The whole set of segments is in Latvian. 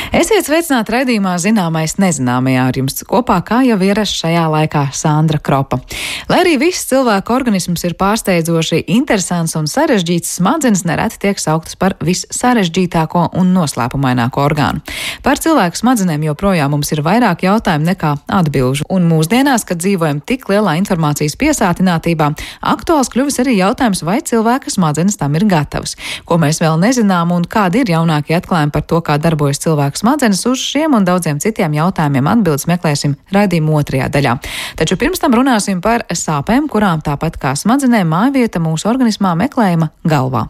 Esiet sveicināti raidījumā Zināmais nezināmajā, ar jums kopā, kā jau ierasts šajā laikā, Sandra Kropa. Lai arī viss cilvēka organisms ir pārsteidzoši interesants un sarežģīts, smadzenes nereti tiek sauktas par vissarežģītāko un noslēpumaināko orgānu. Par cilvēku smadzenēm joprojām mums ir vairāk jautājumu nekā atbilžu, un mūsdienās, kad dzīvojam tik lielā informācijas piesātinātībā, aktuāls kļuvis arī jautājums, vai cilvēka smadzenes tam ir gatavas. Ko mēs vēl nezinām un kādi ir jaunākie atklājumi par to, kā darbojas cilvēku smadzenes, uz šiem un daudziem citiem jautājumiem atbildes meklēsim raidījuma otrajā daļā. Taču pirms tam runāsim par sāpēm, kurām tāpat kā smadzenēm mājvieta mūsu organismā meklējama galvā.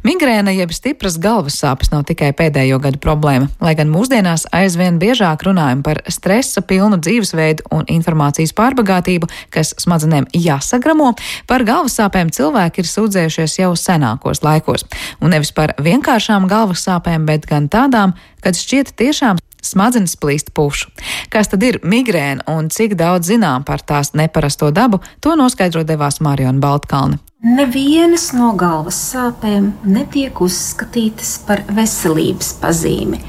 Migrēna jeb stipras galvas sāpes nav tikai pēdējo gadu problēma, lai gan mūsdienās aizvien biežāk runājam par stresa pilnu dzīvesveidu un informācijas pārbagātību, kas smadzenēm jāsagramo, par galvas sāpēm cilvēki ir sūdzējušies jau senākos laikos. Un nevis par vienkāršām galvas sāpēm, bet gan tādām, kad šķiet tiešām smadzenes plīst pušu. Kas tad ir migrēna un cik daudz zinām par tās neparasto dabu, to noskaidro devās Mariona Baltkalne. Nevienas no galvas sāpēm netiek uzskatītas par veselības pazīmi.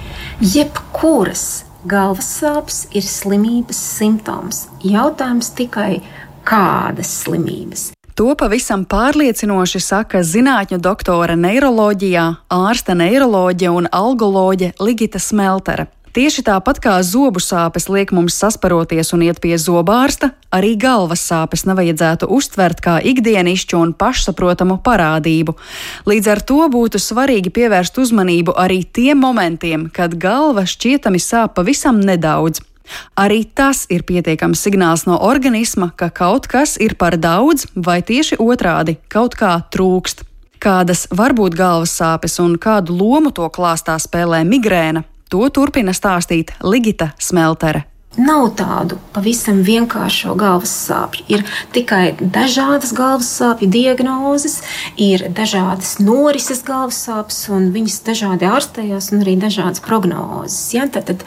Jebkuras galvas sāpes ir slimības simptoms. Jautājums tikai, kādas slimības? To pavisam pārliecinoši saka zinātņu doktore neiroloģijā, ārste neiroloģe un algoloģe Ligita Smeltere. Tieši tāpat kā zobu sāpes liek mums sasparoties un iet pie zobārsta, arī galvas sāpes nevajadzētu uztvert kā ikdienišķu un pašsaprotamu parādību. Līdz ar to būtu svarīgi pievērst uzmanību arī tiem momentiem, kad galva šķietami sāp pavisam nedaudz. Arī tas ir pietiekams signāls no organisma, ka kaut kas ir par daudz vai tieši otrādi, kaut kā trūkst. Kādas var būt galvas sāpes un kādu lomu to klāstā spēlē migrēna? To turpina stāstīt Ligita Smeltere. Nav tādu pavisam vienkāršo galvas sāpju. Ir tikai dažādas galvas sāpju diagnozes, ir dažādas norises galvas sāpes, un viņas dažādi ārstējās, un arī dažādas prognozes. Ja? Tad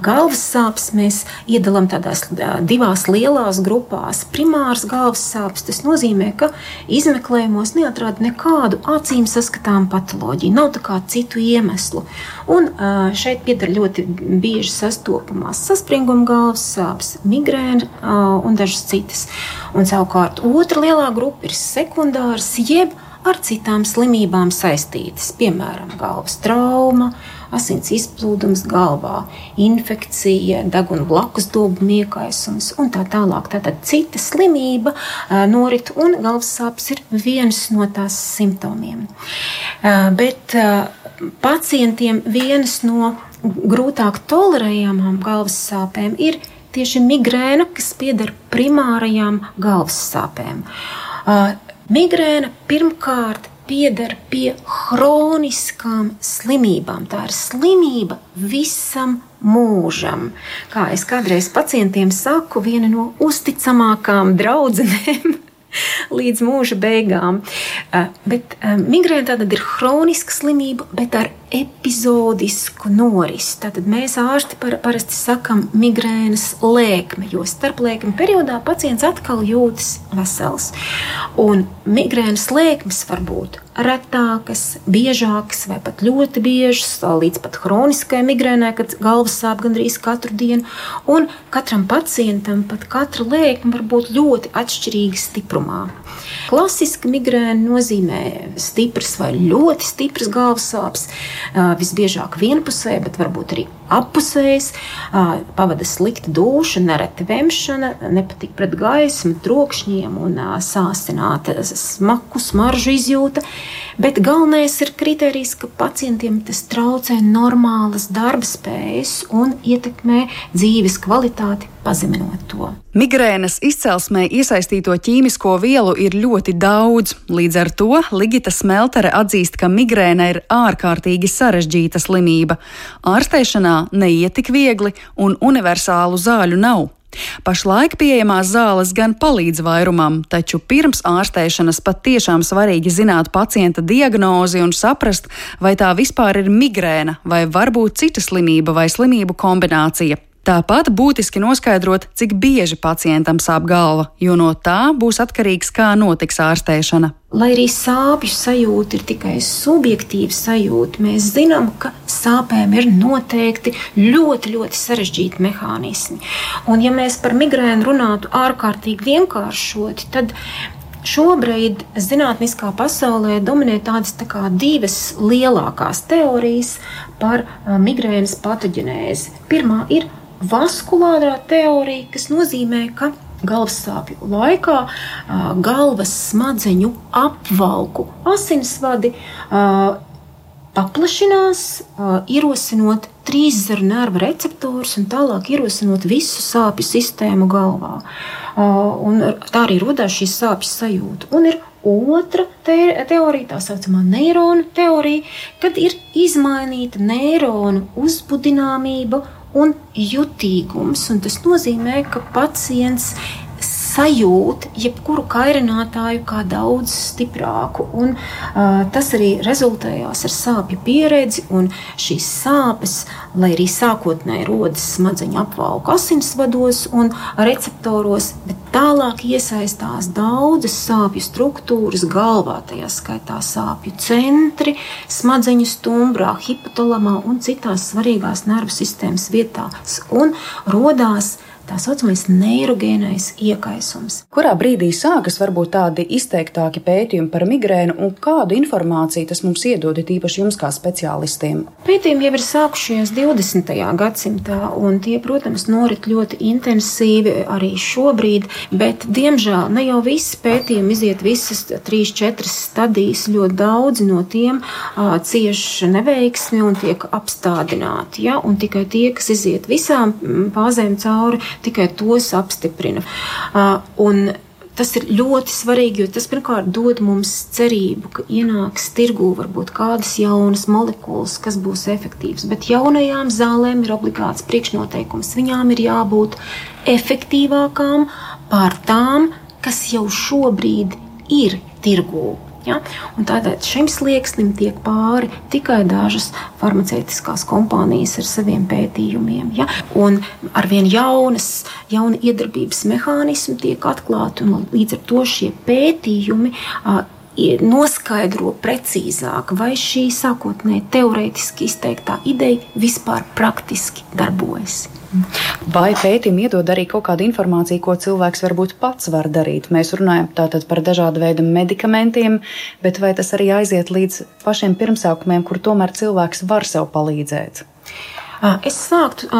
galvas sāpes mēs iedalām tādās divās lielās grupās. Primāras galvas sāpes, tas nozīmē, ka izmeklējumos neatrāda nekādu acīm saskatām patoloģiju, nav tā kā citu iemeslu. Un šeit pieder ļoti bieži sastopamās saspringuma galvas sāpes, migrēna un dažas citas. Un savukārt otra lielā grupa ir sekundāras, jeb ar citām slimībām saistītas, piemēram, galvas trauma, asins izplūdums galvā, infekcija, deguna blakus dobu miekaisums un tā tālāk. Tātad cita slimība norit un galvas sāpes ir viens no tās simptomiem. Bet pacientiem vienas no grūtāk tolerējamām galvas sāpēm ir tieši migrēna, kas pieder primārajām galvas sāpēm. Migrēna pirmkārt pieder pie hroniskām slimībām. Tā ir slimība visam mūžam. Kā es kādreiz pacientiem saku, viena no uzticamākām draudzenēm līdz mūža beigām. Bet migrēna tātad ir hroniska slimība, bet ar epizodisku norisi. Tātad mēs ārsti parasti sakam migrēnas lēkme, jo starplēkme periodā pacients atkal jūtas vesels. Un migrēnas lēkmes var būt retākas, biežākas vai pat ļoti biežas, līdz pat hroniskai migrēnai, kad galvas sāp gandrīz katru dienu. Un katram pacientam pat katra lēkme var būt ļoti atšķirīga stiprumā. Klasiska migrēna nozīmē stipras vai ļoti stipras galvas sāpes, visbiežāk vienpusēji, bet varbūt arī appusējas, pavada slikta dūša, nereti vemšana, nepatīk pret gaismu, trokšņiem un sāsināta smaku, smaržu izjūta. Bet galvenais ir kriterijs, ka pacientiem tas traucē normālas darba spējas un ietekmē dzīves kvalitāti, pazeminot to. Migrēnas izcelsmē iesaistīto ķīmisko vielu ir ļoti daudz. Līdz ar to Ligita Smeltere atzīst, ka migrēna ir ārkārtīgi sarežģīta slimība. Ārstēšanā neiet tik viegli un universālu zāļu nav. Pašlaik pieejamās zāles gan palīdz vairumam, taču pirms ārstēšanas pat tiešām svarīgi zināt pacienta diagnozi un saprast, vai tā vispār ir migrēna vai varbūt cita slimība vai slimību kombinācija. Tāpat būtiski noskaidrot, cik bieži pacientam sāp galva, jo no tā būs atkarīgs, kā notiks ārstēšana. Lai arī sāpju sajūta ir tikai subjektīva sajūta, mēs zinām, ka sāpēm ir noteikti ļoti, ļoti sarežģīti mehānismi. Un ja mēs par migrēnu runātu ārkārtīgi vienkāršoti, tad šobrīd zinātniskā pasaulē dominē tādas divas lielākās teorijas par migrēnas patoģenēzi. Pirmā ir vaskulārā teorija, kas nozīmē, ka galvas sāpju laikā galvas smadzeņu apvalku asinsvadi paplašinās, ierosinot trīszaru nervu receptorus un tālāk ierosinot visu sāpju sistēmu galvā. Un tā arī rodās šī sāpju sajūta. Un ir otra teorija, tā saucamā neironu teorija, kad ir izmainīta neironu uzbudināmība un jutīgums. Un tas nozīmē, ka pacients sajūt jebkuru kairinātāju kā daudz stiprāku. Un tas arī rezultējās ar sāpju pieredzi, un šīs sāpes, lai arī sākotnēji rodas smadzeņu apvalku asinsvados un receptoros, bet tālāk iesaistās daudzas sāpju struktūras galvā, tajā skaitā sāpju centri, smadzeņu stumbrā, hipotalamā un citās svarīgās nervu sistēmas vietās, un rodās tā saucamais neirogēnais iekaisums. Kurā brīdī sākas varbūt tādi izteiktāki pētījumi par migrēnu un kādu informāciju tas mums iedod, īpaši jums kā speciālistiem? Pētījumi jau ir sākušies 20. gadsimtā, un tie, protams, norit ļoti intensīvi arī šobrīd, bet, diemžēl, ne jau visi pētījumi iziet visas 3-4 stadijas, ļoti daudzi no tiem cieši neveiksmi un tiek apstādināti, ja? Un tikai tie, kas iziet visām fāzēm cauri, tikai tos apstiprina. Un tas ir ļoti svarīgi, jo tas pirmkārt dod mums cerību, ka ienāks tirgū varbūt kādas jaunas molekulas, kas būs efektīvas. Bet jaunajām zālēm ir obligāts priekšnoteikums. Viņām ir jābūt efektīvākām pār tām, kas jau šobrīd ir tirgū. Ja? Un tādēļ šim slieksnim tiek pāri tikai dažas farmaceitiskās kompānijas ar saviem pētījumiem. Ja? Un arvien jauni iedarbības mehānismi tiek atklāti, un līdz ar to šie pētījumi noskaidro precīzāk, vai šī sākotnēji teorētiski izteiktā ideja vispār praktiski darbojas. Vai pētījumi iedod arī kaut kādu informāciju, ko cilvēks varbūt pats var darīt? Mēs runājam tātad par dažādu veidu medikamentiem, bet vai tas arī aiziet līdz pašiem pirmsākumiem, kur tomēr cilvēks var sev palīdzēt? Es sāktu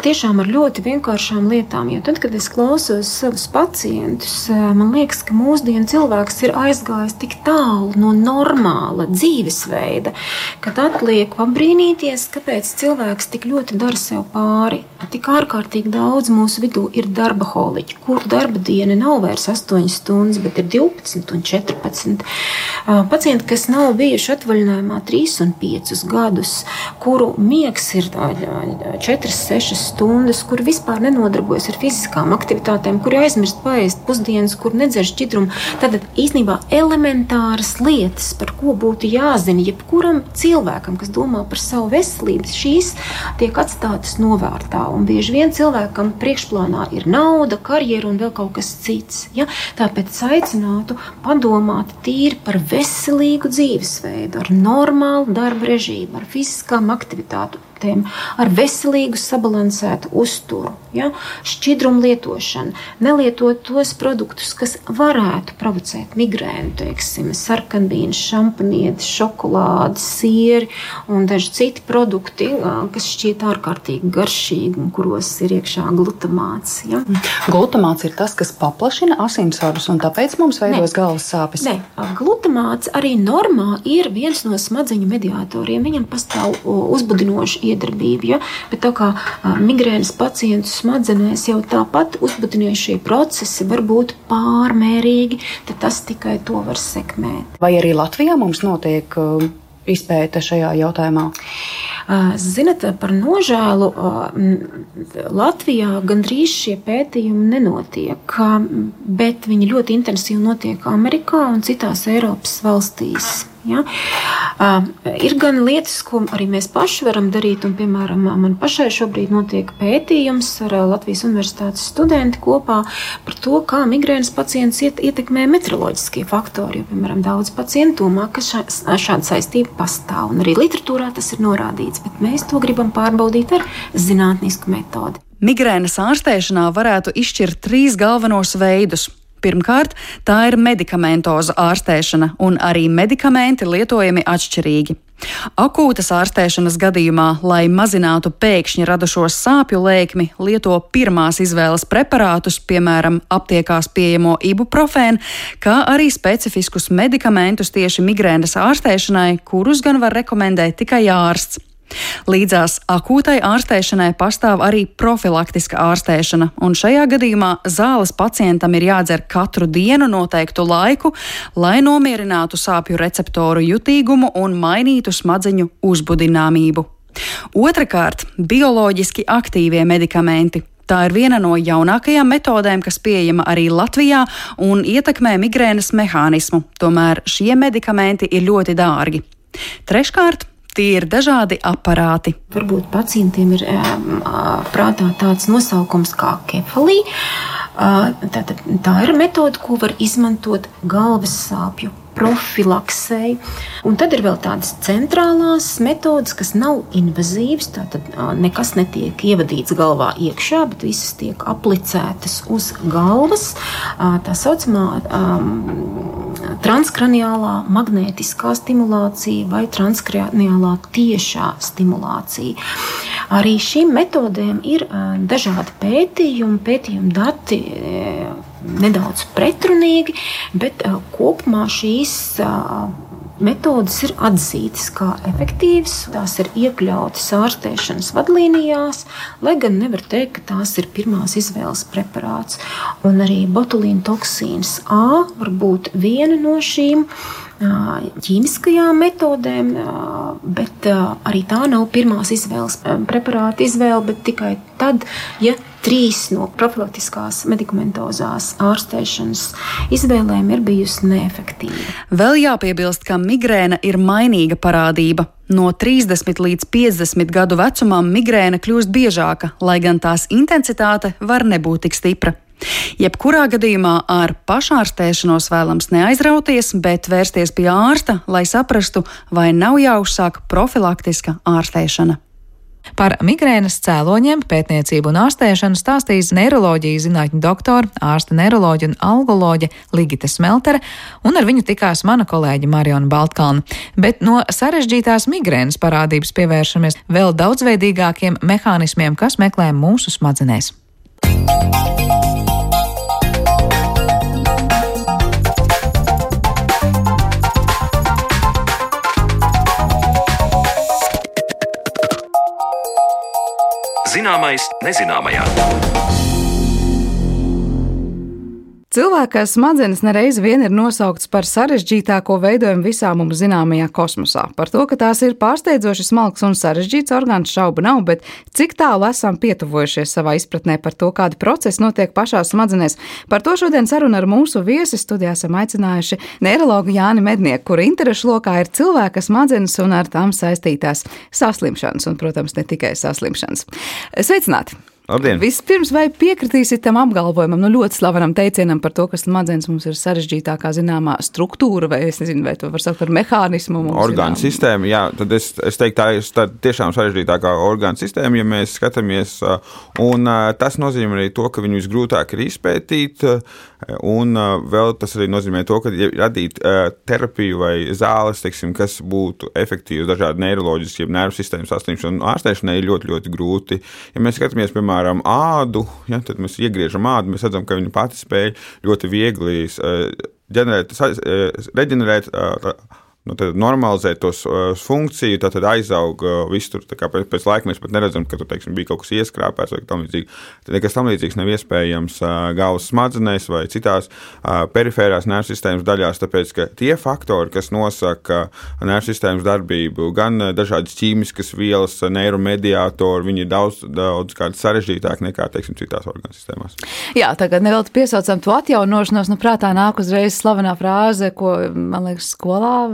tiešām ar ļoti vienkāršām lietām, jo tad, kad es klausos savus pacientus, man liekas, ka mūsdienu cilvēks ir aizgājis tik tālu no normāla dzīvesveida, kad atliek pabrīnīties, kāpēc cilvēks tik ļoti dara sev pāri. Tik ārkārtīgi daudz mūsu vidū ir darbaholiķi, kur darba diena nav vairs 8 stundas, bet ir 12 un 14. Pacienti, kas nav bijuši atvaļinājumā 3 un 5 gadus, kuru miegs ir 4-6 stundas, kur vispār nenodarbojas ar fiziskām aktivitātēm, kur aizmirst paēst pusdienas, kur nedzer šķidrumu. Tad īstenībā elementāras lietas, par ko būtu jāzina jebkuram cilvēkam, kas domā par savu veselību, šīs tiek atstātas novārtā. Un bieži vien cilvēkam priekšplānā ir nauda, karjera un vēl kaut kas cits. Ja? Tāpēc aicinātu padomāt tīri par veselīgu dzīvesveidu, ar normālu darba režīmu, ar fiziskām aktivitātēm, ar veselīgu sabalansētu uzturu, ja? Šķidrumu lietošanu, nelietot tos produktus, kas varētu provocēt migrēnu, teiksim, sarkanbīnas, šampanietes, šokolādes, sieri un daži citi produkti, kas šķiet ārkārtīgi garšīgi un kuros ir iekšā glutamāts. Ja? Glutamāts ir tas, kas paplašina asinsvadus un tāpēc mums veidos galvas sāpes? Nē, glutamāts arī normā ir viens no smadzeņu mediatoriem. Viņam pastāv uzbudinoši iedarbība, ja? Bet tā kā migrēnas pacientu smadzenēs jau tāpat uzbudinošie procesi var būt pārmērīgi, tad tas tikai to var sekmēt. Vai arī Latvijā mums notiek izpēte šajā jautājumā? Zinat, par nožēlu Latvijā gandrīz šie pētījumi nenotiek, bet viņi ļoti intensīvi notiek Amerikā un citās Eiropas valstīs. Ja? Ir gan lietas, ko arī mēs paši varam darīt, un, piemēram, man pašai šobrīd notiek pētījums ar Latvijas Universitātes studenti kopā par to, kā migrēnas pacients ietekmē meteoroloģiskie faktori, jo, piemēram, daudz pacienti domā, ka šāda saistība pastāv, un arī literatūrā tas ir norādīts, bet mēs to gribam pārbaudīt ar zinātnisku metodi. Migrēnas ārstēšanā varētu izšķirt 3 galvenos veidus. Pirmkārt, tā ir medikamentoza ārstēšana, un arī medikamenti lietojami atšķirīgi. Akūtas ārstēšanas gadījumā, lai mazinātu pēkšņi radušos sāpju lēkmi, lieto pirmās izvēles preparātus, piemēram, aptiekās pieejamo ibuprofēnu, kā arī specifiskus medikamentus tieši migrēnas ārstēšanai, kurus gan var rekomendēt tikai ārsts. Līdzās akūtai ārstēšanai pastāv arī profilaktiska ārstēšana, un šajā gadījumā zāles pacientam ir jādzer katru dienu noteiktu laiku, lai nomierinātu sāpju receptoru jutīgumu un mainītu smadzeņu uzbudināmību. Otrakārt, bioloģiski aktīvie medikamenti. Tā ir viena no jaunākajām metodēm, kas pieejama arī Latvijā un ietekmē migrēnas mehānismu, tomēr šie medikamenti ir ļoti dārgi. Treškārt, tie ir dažādi aparāti. Varbūt pacientiem ir prātā tāds nosaukums kā kefalī. Tā ir metode, ko var izmantot galvas sāpju profilaksei. Un tad ir vēl tādas centrālās metodas, kas nav invazīvas, tātad nekas netiek ievadīts galvā iekšā, bet visas tiek aplicētas uz galvas. Tā saucamā transkraniālā magnētiskā stimulācija vai transkraniālā tiešā stimulācija. Arī šīm metodēm ir dažādi pētījumi dati nedaudz pretrunīgi, bet kopumā šīs metodes ir atzītas kā efektīvas, tās ir iekļautas ārstēšanas vadlīnijās, lai gan nevar teikt, ka tās ir pirmās izvēles preparāts. Un arī botulīna toksīns A var būt viena no šīm ķīmiskajām metodēm, bet arī tā nav pirmās izvēles preparāta izvēle, bet tikai tad, ja 3 no profilaktiskās medikamentozās ārstēšanas izvēlēm ir bijusi neefektīva. Vēl jāpiebilst, ka migrēna ir mainīga parādība. No 30 līdz 50 gadu vecumam migrēna kļūst biežāka, lai gan tās intensitāte var nebūt tik stipra. Jebkurā gadījumā ar pašārstēšanos vēlams neaizrauties, bet vērsties pie ārsta, lai saprastu, vai nav jāuzsāk profilaktiska ārstēšana. Par migrēnas cēloņiem, pētniecību un ārstēšanu stāstīs neiroloģijas zinātņu doktora, ārsta neiroloģija un algoloģe Ligita Smeltere, un ar viņu tikās mana kolēģe Mariona Baltkalna. Bet no sarežģītās migrēnas parādības pievēršamies vēl daudzveidīgākiem mehānismiem, kas meklē mūsu smadzenēs. Zināmais nezināmajā. Cilvēka smadzenes nereiz vien ir nosauktas par sarežģītāko veidojumu visā mums zināmajā kosmosā. Par to, ka tās ir pārsteidzoši smalks un sarežģīts orgāns, šaubu nav, bet cik tālu esam pietuvojušies savā izpratnē par to, kādi procesi notiek pašās smadzenēs. Par to šodien saruna ar mūsu viesi. Studijā esam aicinājuši neirologu Jāni Mednieku, kura interešu lokā ir cilvēka smadzenes un ar tām saistītās saslimšanas, un, protams, ne tikai saslimšanas. Sveicināti! Labdien. Vispirms, vai piekritīsit tam apgalvojumam, ļoti slavenam teicienam par to, ka smadzenes mums ir sarežģītākā zināmā struktūra, vai es nezinu, vai to var saukt par mehānismu? Orgānu sistēma, jā, tad es teiktu, tā tiešām sarežģītākā orgānu sistēma, ja mēs skatāmies, un tas nozīmē arī to, ka viņu visgrūtāk ir izpētīt, un vēl tas arī nozīmē to, ka radīt terapiju vai zāles, teiksim, kas būtu efektīvas dažādi neiroloģiski, ja nervu sistēmas saslimšanu ārstēšanai ir ļoti, ļoti grūti. Ja mēs skatāmies, piemēram, ādu, ja, tad mēs iegriežam ādu, mēs redzam, ka viņa pati spēj ļoti viegli reģenerēt, normalizēt tos funkciju, tad aizaug viss tur, pēc laika mēs pat neredzam, ka tur, teiksim, bija kaut kas ieskrāpēts vai tam līdzīgi. Tad nekas tam līdzīgs nav iespējams galvas smadzenēs vai citās perifērās nervu sistēmas daļās, tāpēc, ka tie faktori, kas nosaka nervu sistēmas darbību, gan dažādas ķīmiskas vielas, neiromediātori, viņi ir daudz kādi sarežģītāki nekā, teiksim, citās orgānu sistēmās. Jā, tagad nevēl piesaucam to atjaunošanos, prātā nāk uzreiz slavenā frāze, ko, man liekas, skolā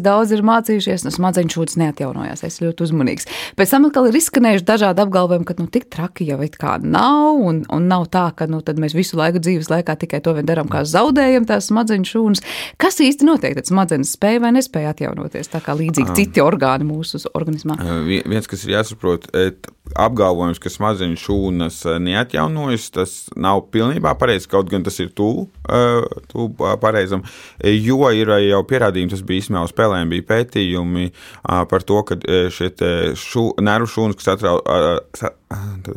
daudz ir mācījušies, smadzeņu šūdas neatjaunojās, es ļoti uzmanīgs. Pēc tam atkal ir izskanējuši dažādi apgalvojumi, ka tik traki jau it kā nav, un nav tā, ka tad mēs visu laiku dzīves laikā tikai to vien darām, kā zaudējam tās smadzeņu šūnas. Kas īsti notiek, tad smadzenes spēja vai nespēja atjaunoties, tā kā līdzīgi citi orgāni mūsu organismā? Viens, kas ir jāsaprot, apgalvojums, ka smadzeņu šūnas neatjaunojas, tas nav pilnībā pareizi, kaut gan tas ir tuvu pareizam, jo ir jau pierādījumi, tas bija īstenībā uz spēlēm, bija pētījumi par to, ka šie nervu šūnas, kas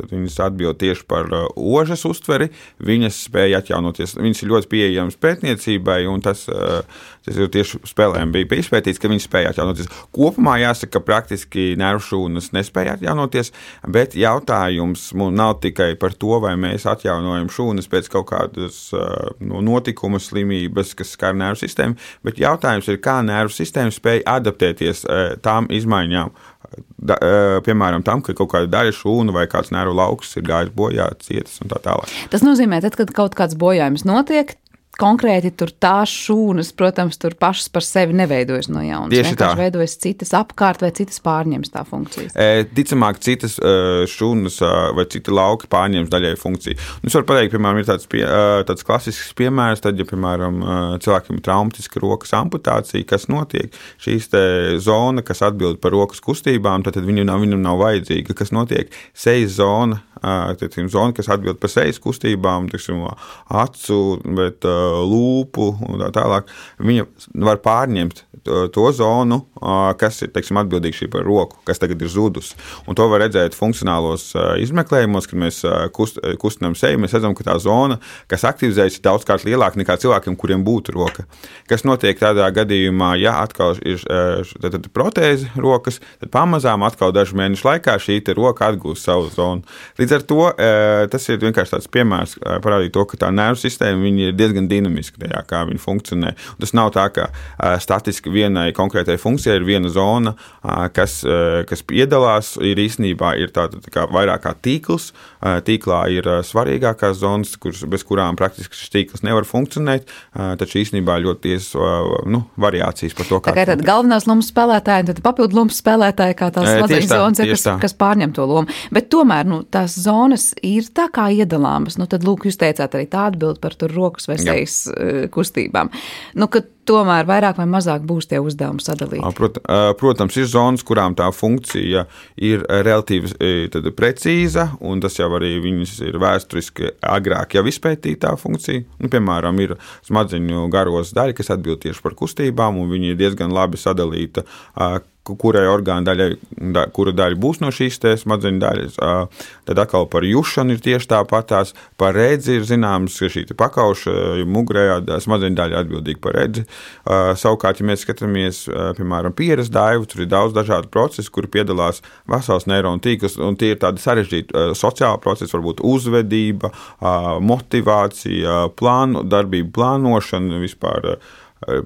viņas atbild tieši par ožas uztveri, viņas spēja atjaunoties. Viņas ir ļoti pieejamas pētniecībai, un tas ir tieši spēlēm bija izpētīts, ka viņas spēja atjaunoties. Kopumā jāsaka, ka praktiski nervu šūnas nespēja atjaunoties, bet jautājums nav tikai par to, vai mēs atjaunojam šūnas pēc kaut kādas notikuma slimības, kas skar nervu sistēmu, bet jautājums ir, kā nervu sistēma spēja adaptēties tām izmaiņām, piemēram, tam, ka kaut kāda daļa šūna vai kāds nervu lauks ir gājis bojā, cietas un tā tālāk. Tas nozīmē, tad, kad kaut kāds bojājums notiek, konkrēti tur tās šūnas, protams, tur pašas par sevi neveidojas no jaunas. Tieši tā. Veidojas citas apkārt vai citas pārņems tā funkcijas. Ticamāk, citas šūnas vai citi lauki pārņems daļai funkciju. Es varu pateikt, piemēram, ir tāds klasisks piemērs, tad, ja, piemēram, cilvēkiem ir traumatiska rokas amputācija, kas notiek, šīs te zona, kas atbild par rokas kustībām, tad viņam nav vajadzīga. Kas notiek? Sejas zona, zona, kas atbild par sejas kustībām, acu, bet lūpu un tā tālāk, viņa var pārņemt to zonu, kas ir, atbildīga par roku, kas tagad ir zudus. Un to var redzēt funkcionālos izmeklējumos, kad mēs kustinām seju, mēs redzam, ka tā zona, kas aktivizējas, ir daudzkārt lielāka nekā cilvēkiem, kuriem būtu roka. Kas notiek tādā gadījumā, ja atkal ir protēze rokas, tad pamazām atkal dažu mēnešu laikā šī roka atgūst savu zonu. Līdz ar to tas ir vienkārši tāds piemērs parādīt to, ka tā nervu sistēma viņa ir diezgan dinamiska tajā, kā viņa funkcionē. Un tas nav tā, ka statiski vienai konkrētai funkcijai ir viena zona, kas piedalās, ir īstenībā ir tā kā vairāk kā tīkls. Tīklā ir svarīgākās zonas, bez kurām praktiski šis tīkls nevar funkcionēt, taču īstenībā ļoti tiesas variācijas par to, kā. Tā kā tad galvenās lomas spēlētāji, tad papildu lomas spēlētāji, kā tās smadzeņu zonas ir, kas pārņem to lomu. Bet tomēr, tās zonas ir tā kā iedalāmas. Tad, lūk, jūs teicāt arī tā atbild par tur rokas vai sejas kustībām. Ka tomēr vairāk vai mazāk būs tie uzdevumi sadalīti. Protams, ir zonas, kurām tā funkcija ir relatīvi precīza, un tas jau arī viņas ir vēsturiski agrāk jau izpētītā funkcija. Piemēram, ir smadzeņu garos daļa, kas atbild tieši par kustībām, un viņi ir diezgan labi sadalīta, kurai orgāna daļai, kura daļa būs no šīs smadzeņu daļas. Tad atkal par jušanu ir tieši tāpatās. Par redzi ir zināms, ka šī pakauša mugurējā smadzeņu daļa atbildīga par redzi. Savukārt, ja mēs skatāmies, piemēram, pieres daivu, tur ir daudz dažādu procesu, kuri piedalās vesels neironu tīkls, un tie ir tādi sarežģīti sociāli procesi, varbūt uzvedība, motivācija, darbību plānošana, vispār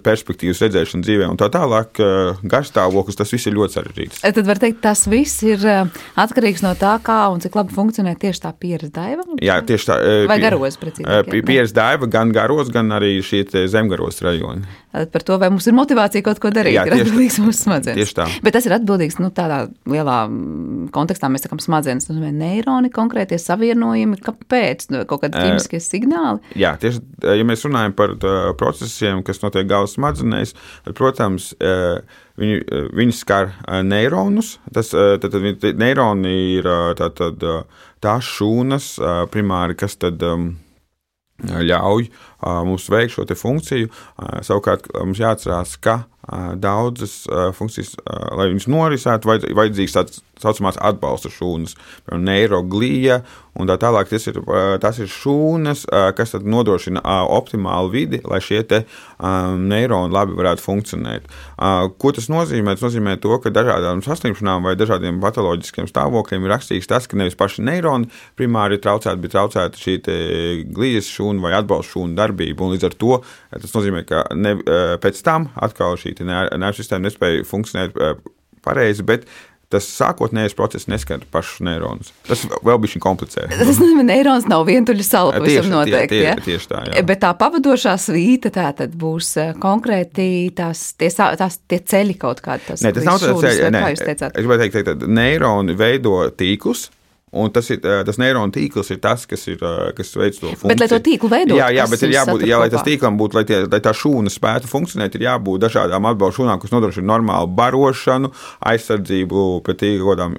perspektīvas redzēšana dzīvē un tā tālāk, garstāvoklis, tas viss ir ļoti sarežģīts. Tad var teikt, tas viss ir atkarīgs no tā, kā un cik labi funkcionē tieši tā pieres daiva? Jā, tieši tā. Vai garos, precīzāk? Pieres daiva gan garos, gan arī šie zemgaros rajoni. Par to, vai mums ir motivācija kaut ko darīt, ir atbildīgs mūsu smadzenes. Tieši tā. Bet tas ir atbildīgs, tādā lielā kontekstā mēs sakam smadzenes, neironi, konkrētie savienojumi, kāpēc, kaut kādi ķīmiskie signāli? Jā, tieši, ja mēs runājam par procesiem, kas notiek galvas smadzenēs, tad, protams, viņi skar neironus. Tad neironi ir tās šūnas primāri, kas tad ļauj mums veikt šo te funkciju. Savukārt mums jāatcerās, ka daudzas funkcijas, lai viņas norisētu, vajadzīgs tāds saucamās atbalsta šūnas, piemēram, neiroglija un tā tālāk. Tas ir šūnas, kas tad nodrošina optimālu vidi, lai šie te neironi labi varētu funkcionēt. Ko tas nozīmē? Tas nozīmē to, ka dažādām saslimšanām vai dažādiem patoloģiskiem stāvokļiem ir rakstīts tas, ka nevis paši neironi primāri ir traucēti, bet traucēta šī te glijas šūna vai atbalsta šūna darbība. Un līdz ar to tas nozīmē, ka pēc tam atkal šī nervu sistēma nespēja funkcionēt pareizi, bet tas sākotnējais process neskar pašus neironus. Tas vēl bišķiņ komplicē. Tas nozīmē, neirons nav vientuļa sala pavisam noteikti. Tieši tā, jā. Bet tā pavadošā svīta tā tad būs konkrēti tie ceļi kaut kādi. Nē, tas nav tāds ceļi. Es gribētu teikt, ka neironi veido tīklus. Un tas neironu tīkls ir tas, kas veic to funkciju. Bet, lai to tīklu veidot, jā, bet ir jābūt, lai tas tīklam būtu, lai tā šūna spētu funkcionēt, ir jābūt dažādām atbalstu šūnām, kas nodrošina normālu barošanu, aizsardzību pret kodām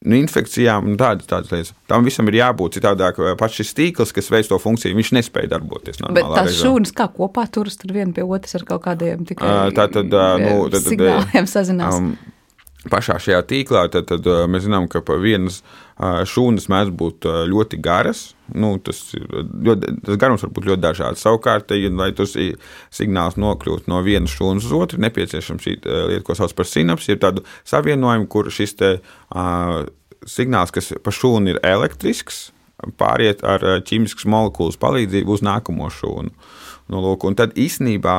infekcijām un tādas lietas. Tam visam ir jābūt citādāk. Pats šis tīkls, kas veic to funkciju, viņš nespēja darboties normālā režīmā. Bet tās šūnas kā kopā turas tur viena pie otras ar kaut kādiem tikai signāliem sazinās. Pašā šajā tīklā tad mēs zinām, ka vienas šūnas mēdz būt ļoti garas. Tas garums var būt ļoti dažāds. Savukārt, lai tas signāls nokļūtu no vienas šūnas uz otru, nepieciešams šī lieta, ko sauc par sinapsi, ir tādu savienojumu, kur šis signāls, kas pa šūnu ir elektrisks, pāriet ar ķīmiskas molekulas palīdzību uz nākamo šūnu. Un tad īstenībā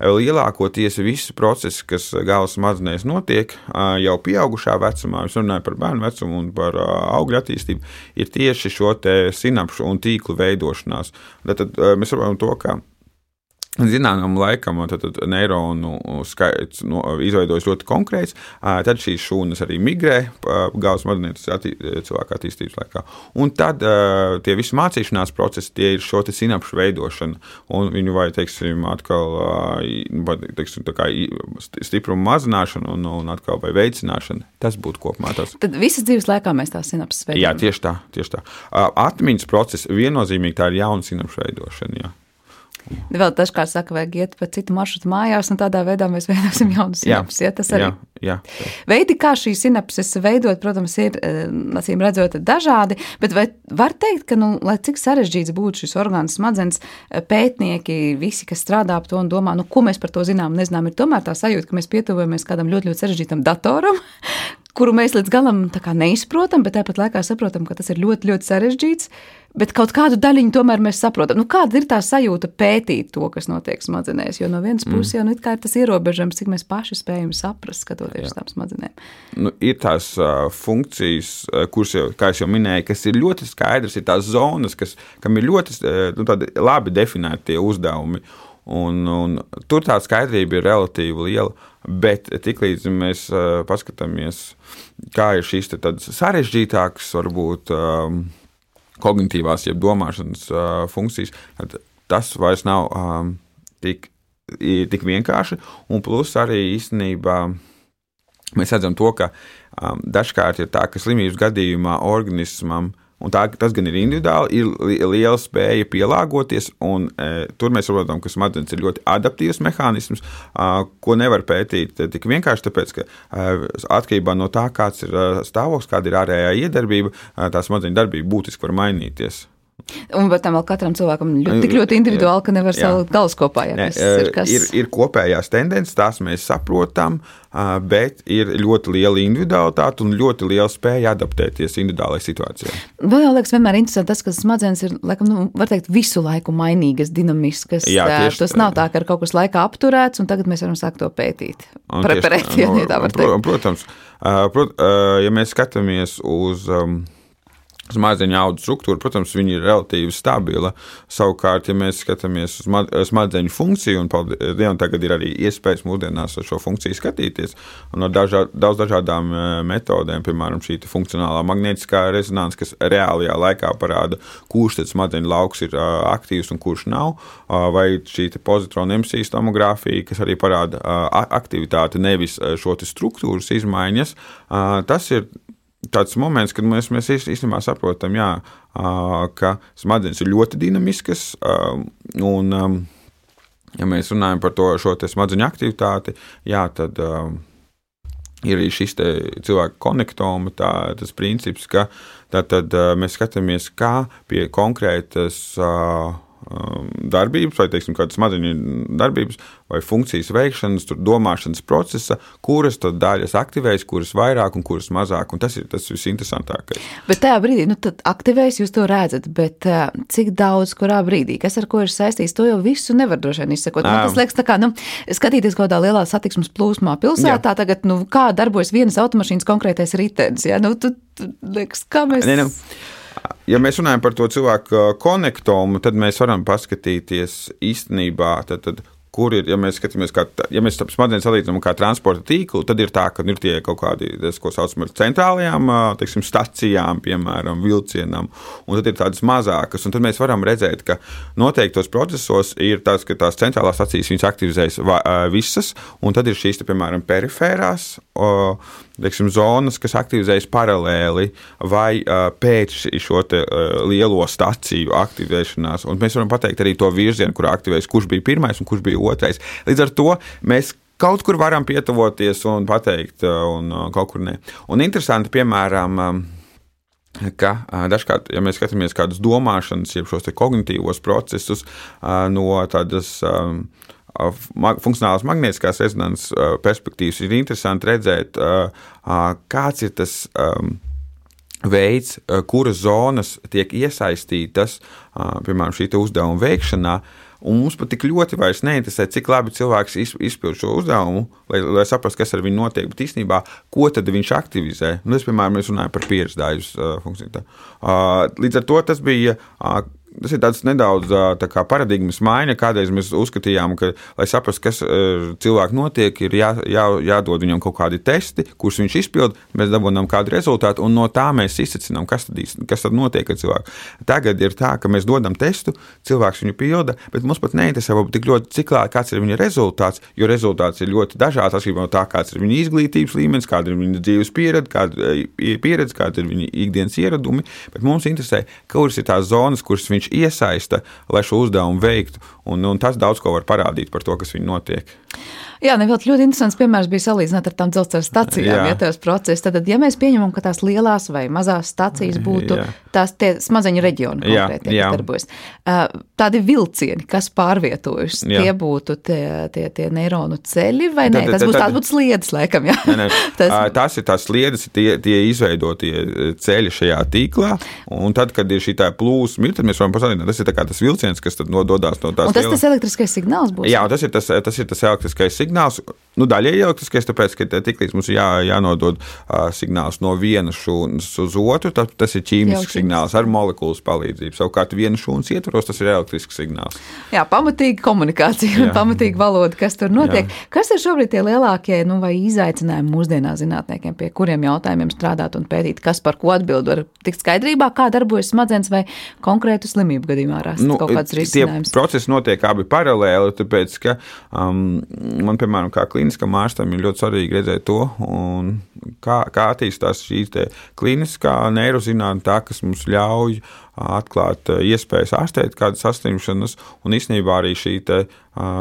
lielākoties visi procesi, kas galvas smadzenēs notiek jau pieaugušā vecumā, es runāju par bērnu vecumu un par augļu attīstību, ir tieši šo te sinapšu un tīklu veidošanās. Tad mēs saprotam to, ka zināmam laikam neironu skaits izveidojas ļoti konkrēts, tad šīs šūnas arī migrē galvas smadzenēs cilvēka attīstības laikā. Un tad tie visi mācīšanās procesi, tie ir šo te sinapšu veidošana, un viņu vai, atkal, tā kā stiprumu mazināšana un atkal vai veicināšana. Tas būtu kopumā tas. Tad visas dzīves laikā mēs tās sinapses veidojam. Jā, tieši tā. Atmiņas process viennozīmīgi tā ir jauna sinapšu veidošana, jā. Vēl dažkārt saka, vajag iet pa citu maršrutu mājās, un tādā veidā mēs veidosim jaunu sinapsi. Ja, tas arī. Jā. Veidi, kā šīs sinapses veidot, protams, ir, acīm redzot, dažādi, bet vai var teikt, ka, lai cik sarežģīts būtu šis orgāns smadzenes, pētnieki, visi, kas strādā ap to un domā, ko mēs par to zinām un nezinām, ir tomēr tā sajūta, ka mēs pietuvojamies kādam ļoti, ļoti sarežģītam datoram, kuru mēs līdz galam tā kā neizprotam, bet tāpat laikā saprotam, ka tas ir ļoti, ļoti sarežģīts, bet kaut kādu daļiņu tomēr mēs saprotam. Kāda ir tā sajūta pētīt to, kas notiek smadzenēs? Jo no vienas puses jau it kā ir tas ierobežojums, cik mēs paši spējam saprast, skatoties uz tām smadzenēm. Ir tās funkcijas, kuras, kā es jau minēju, kas ir ļoti skaidrs, ir tās zonas, kam ir ļoti labi definēti tie uzdevumi. Un tur tā skaidrība ir relatīvi liela, bet tiklīdz mēs paskatāmies, kā ir šīs tādas sarežģītākas, varbūt kognitīvās, jeb domāšanas funkcijas, tas vairs nav tik vienkārši, un plus arī īstenībā mēs redzam to, ka dažkārt ir tā, ka slimības gadījumā organismam, un tas gan ir individuāli, ir liela spēja pielāgoties, un tur mēs saprotam, ka smadzenes ir ļoti adaptīvs mehānisms, ko nevar pētīt tik vienkārši, tāpēc, ka atkarībā no tā, kāds ir stāvoklis, kāda ir ārējā iedarbība, tā smadzeņu darbība būtiski var mainīties. Un bet tam vēl katram cilvēkam tik ļoti individuāli, ka nevar salikt galus kopā. Ir kopējās tendences, tās mēs saprotam, bet ir ļoti liela individualitāte un ļoti liela spēja adaptēties individuālajai situācijai. Vēl jau liekas vienmēr interesanti tas, ka smadzenes ir, laikam, var teikt, visu laiku mainīgas, dinamiskas. Tas nav tā, ka ir kaut kas laikā apturēts, un tagad mēs varam sākt to pētīt. Preparēt, ja tā var teikt. Protams, ja mēs skatāmies uz smadzeņu audu struktūra, protams, viņi ir relatīvi stabila. Savukārt, ja mēs skatāmies uz smadzeņu funkciju, un tagad ir arī iespējas mūsdienās ar šo funkciju skatīties, un ar daudz dažādām metodēm, piemēram, šī funkcionālā magnētiskā rezonanse, kas reālajā laikā parāda, kurš tad smadzeņu lauks ir aktīvs un kurš nav, vai šī pozitrona emisijas tomogrāfija, kas arī parāda aktivitāti, nevis šo struktūras izmaiņas. Tas ir tāds moments, kad mēs īstenībā saprotam, ka smadzenes ir ļoti dinamiskas, un, ja mēs runājam par šo smadzeņu aktivitāti, tad ir arī šis cilvēka konektoma, tas princips, ka tad mēs skatāmies, kā pie konkrētas darbības, vai, teiksim, kādas smadzeņu darbības, vai funkcijas veikšanas, domāšanas procesa, kuras tad daļas aktivējas, kuras vairāk un kuras mazāk, un tas ir tas visinteresantākais. Bet tajā brīdī, tad aktivējas, jūs to redzat, bet cik daudz, kurā brīdī, kas ar ko ir saistīts, to jau visu nevar droši vien izsekot. Tas liekas tā kā, skatīties kaut kādā lielā satiksmes plūsmā pilsētā, tagad, kā darbojas vienas automašīnas konkrētais ritenis, tu liekas, kā mēs... Ja mēs runājam par to cilvēku konektomu, tad mēs varam paskatīties īstenībā, tad kur ir, ja mēs skatāmies, ja mēs smadzenes salīdzinām kā transporta tīklu, tad ir tā, ka ir tie kaut kādi, ko saucam ar centrālajām, teiksim, stacijām, piemēram, vilcienam, un tad ir tādas mazākas, un tad mēs varam redzēt, ka noteiktos procesos ir tas, ka tās centrālās stacijas viņas aktivizējas visas, un tad ir šīs, piemēram, perifērās, teiksim, zonas, kas aktivizējas paralēli vai pēc šo lielo staciju aktivēšanās. Un mēs varam pateikt arī to virzienu, kurā aktivējas, kurš bija pirmais un kurš bija otrais. Līdz ar to mēs kaut kur varam pietuvoties un pateikt, un kaut kur ne. Un interesanti, piemēram, ka dažkārt, ja mēs skatāmies kādus domāšanas, jeb šos te kognitīvos procesus no tādas funkcionālās magnētiskās rezonanses perspektīvas, ir interesanti redzēt, kāds ir tas veids, kuras zonas tiek iesaistītas, piemēram, šī uzdevuma veikšanā, un mums pat tik ļoti vairs neinteresē, cik labi cilvēks izpild šo uzdevumu, lai saprastu, kas ar viņu notiek, bet īstenībā, ko tad viņš aktivizē. Es, piemēram, mēs runājam par pieredzējumus funkciju. Līdz ar to tas bija... Tas ir tāds nedaudz tā kā paradigmas maiņa, kādreiz mēs uzskatījām, ka, lai saprastu, kas cilvēku notiek, ir jādod viņam kaut kādi testi, kurus viņš izpild, mēs dabūnām kādu rezultātu, un no tā mēs izsacinām, kas tad notiek ar cilvēku. Tagad ir tā, ka mēs dodam testu, cilvēks viņu pilda, bet mums pat neinteresē, tik ļoti, kāds ir viņa rezultāts, jo rezultāts ir ļoti dažāds, atšķirībā no tā, kāds ir viņa izglītības līmenis, kāda ir viņa dzīves pieredze, kāda ir viņa ikdienas ieradumi, bet mums interesē, kuras ir tās zonas, kuras viņš iesaista, lai šo uzdevumu veiktu, un tas daudz ko var parādīt par to, kas viņu notiek. Jā, nevēl ļoti interesants piemērs bija salīdzināt ar tām dzelzceļa stacijām, ja tās procesi. Tad, ja mēs pieņemam, ka tās lielās vai mazās stacijas būtu tās tie smadzeņu reģioni konkrēti, kas darbojas. Tādi vilcieni, kas pārvietojas, tie būtu tie neironu ceļi vai nē? Tas būtu sliedes, laikam, jā. Tās ir tās sliedes, tie izveidotie ceļi šajā tīklā, un tad, kad ir šī tā plūsma, tad mēs varam pasalīdzināt, tas ir tā kā tas vilciens, kas tad nododās no tās. Un tas elektriskais signāls būs? Jā, tas ir tas elektriskais signāls, daļēji elektriskais, tāpēc, ka tiklīdz mums jānodod signāls no vienas šūnas uz otru, tas ir ķīmisks signāls ar molekulas palīdzību. Savukārt vienas šūnas ietvaros tas ir elektrisks signāls. Jā, pamatīga komunikācija un pamatīga valoda, kas tur notiek. Jā. Kas ir šobrīd tie lielākie vai izaicinājumi mūsdienās zinātniekiem, pie kuriem jautājumiem strādāt un pētīt, kas par ko atbild, var tikt skaidrībā, kā darbojas smadzenes vai konkrētu slimību gadījumā rast kaut kāds risinājums? Tie procesi notiek abi paralēli, tāpēc, ka man, piemēram, kā kliniskam ārstam ir ļoti svarīgi redzēt to, un kā attīstās šīs te kliniskā neirozinātne, tā, kas mums ļauj atklāt iespējas ārstēt kādas saslimšanas, un īstenībā arī šī te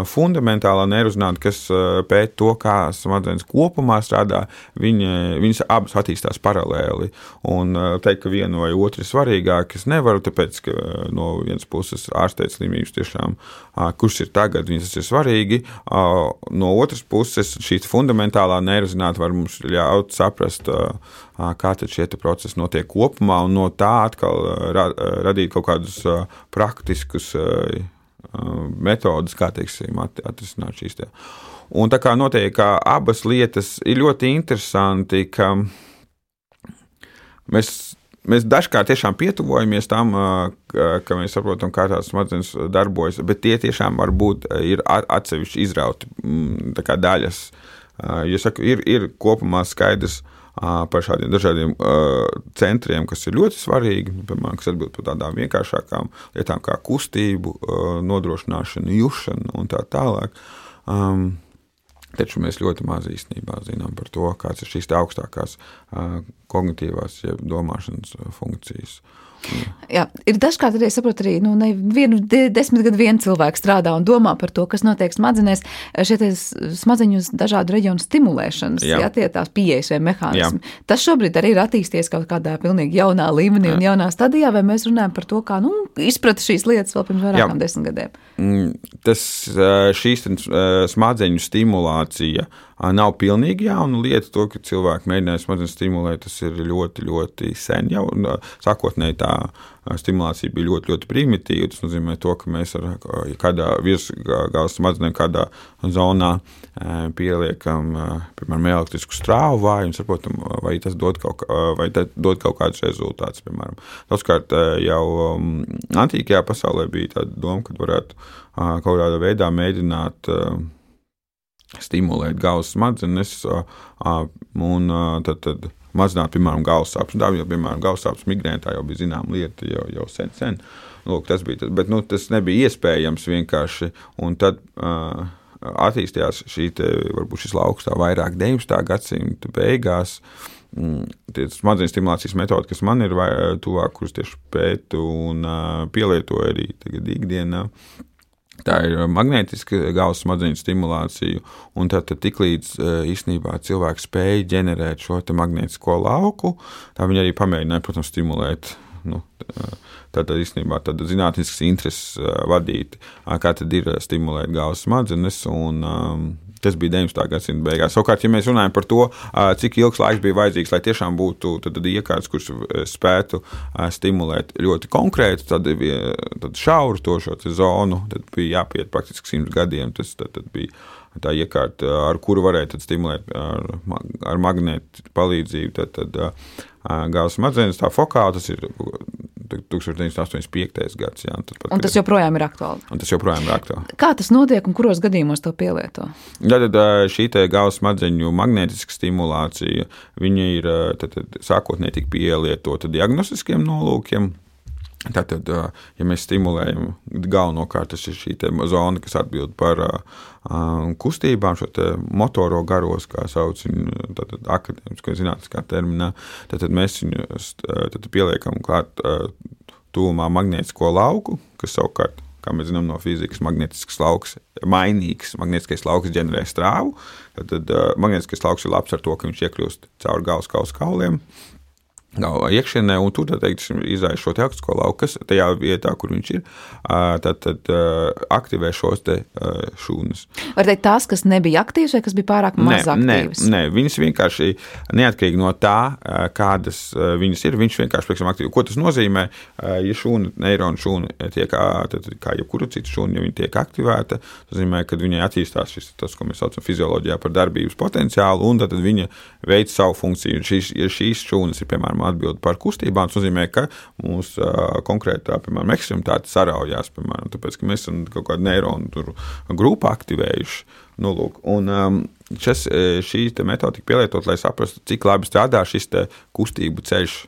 fundamentālā neirozinātne, kas pēt to, kā smadzenes kopumā strādā, viņas abas attīstās paralēli. Un teikt, ka viena vai otra ir svarīgāka, es nevaru, tāpēc, ka no vienas puses ārstēt slimības tiešām, kurš ir tagad, viņas ir svarīgi. No otras puses, šī fundamentālā neirozinātne var mums ļaut saprast, kā tad šie procesi notiek kopumā, un no tā atkal radīt kaut kādus praktiskus metodas, kā teiksim, atrisināt šīs tie. Un tā kā notiek, ka abas lietas ir ļoti interesanti, ka mēs dažkārt tiešām pietuvojamies tam, ka mēs saprotam, kā tās smadzenes darbojas, bet tie tiešām varbūt ir atsevišķi izrauti tā kā daļas. Ja saku, ir kopumā skaidrs par šādiem dažādiem centriem, kas ir ļoti svarīgi, piemēram, kas atbild par tādām vienkāršākām lietām kā kustību, nodrošināšanu, jušanu un tā tālāk. Taču mēs ļoti maz īstenībā zinām par to, kāds ir šīs augstākās kognitīvās domāšanas funkcijas. Jā, ir dažkārt arī, saprot, arī vienu 10 gadu vienu cilvēku strādā un domā par to, kas notiek smadzenēs, šie smadzeņu dažādu reģionu stimulēšanas, tie tās pieejas vai mehānismi. Jā. Tas šobrīd arī ir attīstījies kaut kādā pilnīgi jaunā līmenī un jaunā stadijā, vai mēs runājam par to, kā izprata šīs lietas vēl pirms vairākām 10 gadiem? Šīs smadzeņu stimulācija nav pilnīgi jauna lieta. To, ka cilvēki mēģināja smadzenes stimulēt, tas ir ļoti, ļoti sen jau. Sākotnēji tā stimulācija bija ļoti, ļoti primitīva. Tas nozīmē to, ka mēs ar kādā virsgalvas smadzenēm kādā zonā pieliekam, piemēram, elektrisku strāvu vājumu, saprotam, vai tas dod kaut kādus rezultātus, piemēram. Daudzkārt jau antīkajā pasaulē bija tāda doma, ka varētu kaut kādā veidā mēģināt stimulēt galvas smadzenes un tad mazināt, piemēram, galvas sāpes. Tā jau, piemēram, galvas sāpes migrēna, tā jau bija zināma lieta jau sen. Lūk, tas bija tas, bet tas nebija iespējams vienkārši, un tad attīstījās varbūt šis lauks tā vairāk 19. gadsimta beigās. Tie smadzeņu stimulācijas metodi, kas man ir tuvāk, kuras tieši pētu un pielietoju arī tagad ikdienā. Tā ir magnētiska galvas smadzeņu stimulācija, un tad tiklīdz īstenībā cilvēks spēja ģenerēt šo te magnētisko lauku, tā viņi arī pamēģināja, protams, stimulēt. Tad īstenībā zinātnisks intereses vadīt, kā tad ir stimulēt galvas smadzenes, un tas bija 19. gadsimta beigās. Savukārt, ja mēs runājam par to, cik ilgs laiks bija vajadzīgs, lai tiešām būtu iekārtas, kuras spētu stimulēt ļoti konkrēti, tad šauru šo zonu, tad bija jāpiet praktiski 100 gadiem. Tas tad bija tā iekārta, ar kuru varēja stimulēt ar magnētu palīdzību. Tad galvas smadzenes, tā fokāla, tas ir 1985. gads. Jā, un tas joprojām ir aktuāli. Kā tas notiek un kuros gadījumos to pielieto? Tad šī galvas smadzeņu magnētiska stimulācija, viņa ir sākotnēji tika pielietota diagnostiskiem nolūkiem. Tātad, ja mēs stimulējam galvenokārt, tas ir šī zona, kas atbild par kustībām, šo motoro garos, kā sauc viņu akadēmiskā zinātniskā terminā, tad mēs viņu pieliekam klāt tuvumā magnētisko lauku, kas savukārt, kā mēs zinām no fizikas, magnētisks lauks mainīgs, magnētiskais lauks ģenerē strāvu, tad magnētiskais lauks ir labs ar to, ka viņš iekļūst caur galvas kauliem, galvā iekšienē, un tur, teiksim, izraisa šo elektrisko lauku, kas tajā vietā, kur viņš ir, tad aktivē šos šūnas. Var teikt tās, kas nebija aktīvas vai kas bija pārāk maz aktīvas? Nē, viņas vienkārši neatkarīgi no tā, kādas viņas ir, viņš vienkārši, pieksim, aktīvi. Ko tas nozīmē? Ja neironu šūna tiek, tad kā jebkura cita šūna, ja viņa tiek aktivēta, tas nozīmē, ka viņai attīstās tas, ko mēs saucam fizioloģijā par darbības potenciālu, un tad viņa veic savu funkciju. Ja šīs šūnas ir, piemēram, atbild par kustībām, tas nozīmē, ka mūsu konkrētā, piemēram, ekstremitāte saraujās, piemēram, tāpēc, ka mēs esam kaut kādu neironu grupu aktivējuši. Un šī metode tika pielietot, lai saprastu, cik labi strādā šis kustību ceļš,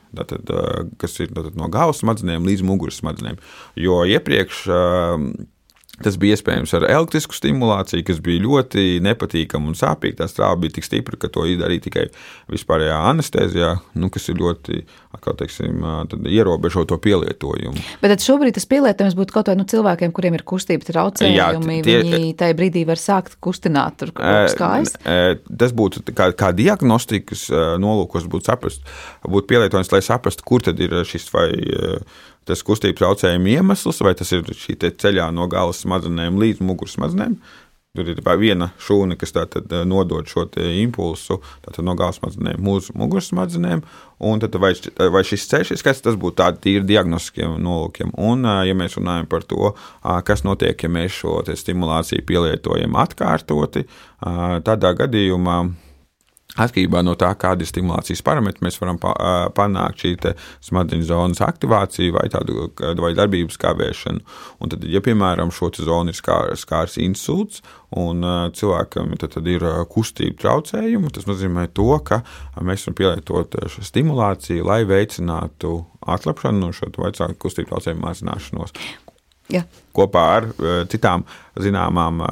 kas ir no galvas smadzenēm līdz muguras smadzenēm. Jo iepriekš tas bija iespējams ar elektrisku stimulāciju, kas bija ļoti nepatīkama un sāpīga. Tā strāva bija tik stipra, ka to izdarīja tikai vispārējā anestēzijā, kas ir ļoti, kā teiksim, ierobežo to pielietojumu. Bet tad šobrīd tas pielietojums būtu kaut vai cilvēkiem, kuriem ir kustība traucējumi, viņi tajā brīdī var sākt kustināt tur kaut kājas? Tas būtu kā diagnostikas nolūkos būtu pielietojums, lai saprastu, kur tad ir šis vai tas kustību traucējuma iemesls, vai tas ir šī ceļā no galvas smadzenēm līdz muguras smadzenēm. Tur ir viena šūna, kas tātad nodod šo impulsu no galvas smadzenēm uz muguras smadzenēm, un tad vai šis ceļš ir skats, tas būtu tādi tīri diagnostiskiem nolūkiem. Un, ja mēs runājam par to, kas notiek, ja mēs šo stimulāciju pielietojam atkārtoti, tādā gadījumā atkarībā no tā, kāda ir stimulācijas parametri, mēs varam panākt šī smadzeņu zonas aktivāciju vai darbības kavēšanu. Un tad, ja, piemēram, šo zonu ir skārs insults un cilvēkam tad ir kustību traucējumi, tas nozīmē to, ka mēs varam pielietot šo stimulāciju, lai veicinātu atlapšanu no šo kustību traucējumu mazināšanos. kopā ar citām zināmām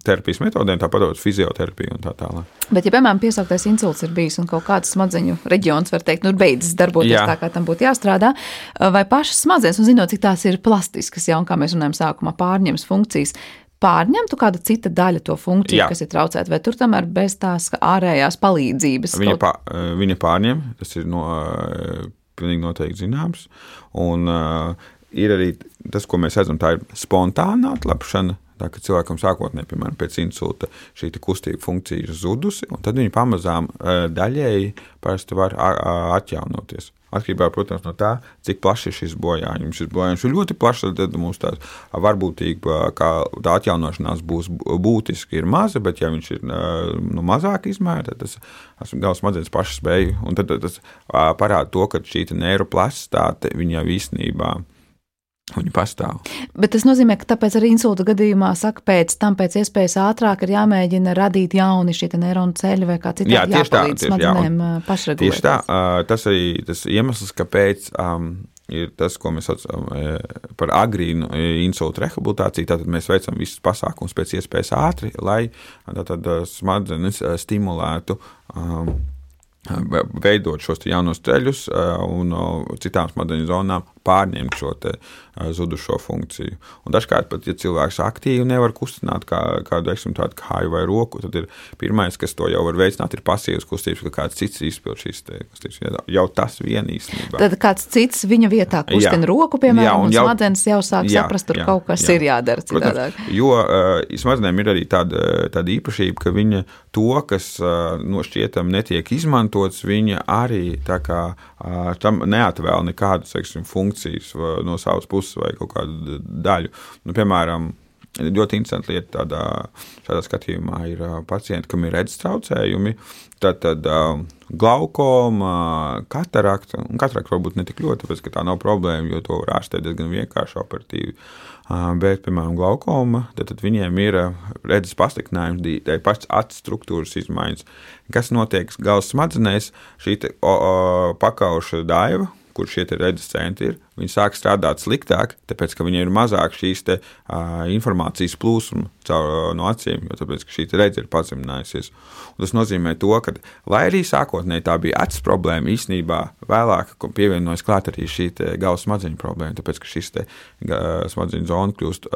terapijas metodēm, tāpat fizioterapiju un tā tālāk. Bet, ja, piemēram, piesauktais insults ir bijis un kaut kāds smadzeņu reģions, var teikt, beidzas darboties tā, kā tam būtu jāstrādā, vai pašas smadzenes, un zinot, cik tās ir plastiskas, un kā mēs runājam sākumā, pārņems funkcijas, pārņemtu kāda cita daļa to funkciju, kas ir traucēta, vai tur tomēr bez tās ārējās palīdzības? Viņa pārņem, tas ir pilnīgi noteikti zināms, un ir arī tas, ko mēs redzam, tā ir spontāna atlapšana, tā, ka cilvēkam sākotnēji, piemēram, pēc insulta šī kustība funkcija ir zudusi, un tad viņa pamazām daļēji parasti var atjaunoties. Atkarībā, protams, no tā, cik plaši ir šis bojājums. Šis bojājums ir ļoti plašs, tad mums tā varbūtība, kā tā atjaunošanās būs būtiski ir maza, bet ja viņš ir mazāk izmēra, tad tas galvas smadzenes pašas spēja, un tad tas parāda to, ka šī neiroplasticitāte viņa īstenībā viņi pastāv. Bet tas nozīmē, ka tāpēc arī insulta gadījumā saka, pēc iespējas ātrāk ir jāmēģina radīt jauni šie neironu ceļi vai kā citādi jāpalīdz smadzenēm pašregulēties. Tieši tā, tas arī tas iemesls, kāpēc ir tas, ko mēs saucam par agrīnu insulta rehabilitāciju, tātad mēs veicam visus pasākumus pēc iespējas ātri, lai smadzenes stimulētu veidot šos jaunos ceļus un citām smadzeņu zonām pārņemt šo zudušo funkciju. Un dažkārt pat, ja cilvēks aktīvi nevar kustināt kādu tādu kāju vai roku, tad ir pirmais, kas to jau var veicināt, ir pasīvas kustības, ka kāds cits izpild šīs kustības. Jau tas vien īstenībā. Tad kāds cits viņa vietā kustina roku, piemēram, un smadzenes jau sāk saprast, tur kaut kas ir jādara citādāk. Protams, jo smadzenēm ir arī tāda īpašība, ka viņa to, kas no šķietam netiek izmantots, viņa arī tā kā tam neatvēl nekādu, funkcijas no savas puses vai kaut kādu daļu. Piemēram, ļoti interesanta lieta šādā skatījumā ir pacienti, kam ir redzes traucējumi, tad glaukoma, katarakta, un katarakta varbūt ne tik ļoti, tāpēc, ka tā nav problēma, jo to var ārstēt diezgan vienkārši operatīvi. Bet, piemēram, glaukoma, tad viņiem ir redzes pasliktinājums, tā ir pašas acu struktūras izmaiņas. Kas notiek galvas smadzenēs, šī pakauša daiva, kur šie redzes centri ir, viņi sāk strādāt sliktāk, tāpēc, ka viņiem ir mazāk šīs informācijas plūsma no acīm, jo tāpēc, ka šī redze ir pazeminājusies. Un tas nozīmē to, ka, lai arī sākotnēji tā bija acis problēma, īstenībā vēlāk pievienojas klāt arī šī galvas smadzeņu problēma, tāpēc, ka šis smadzeņu zona kļūst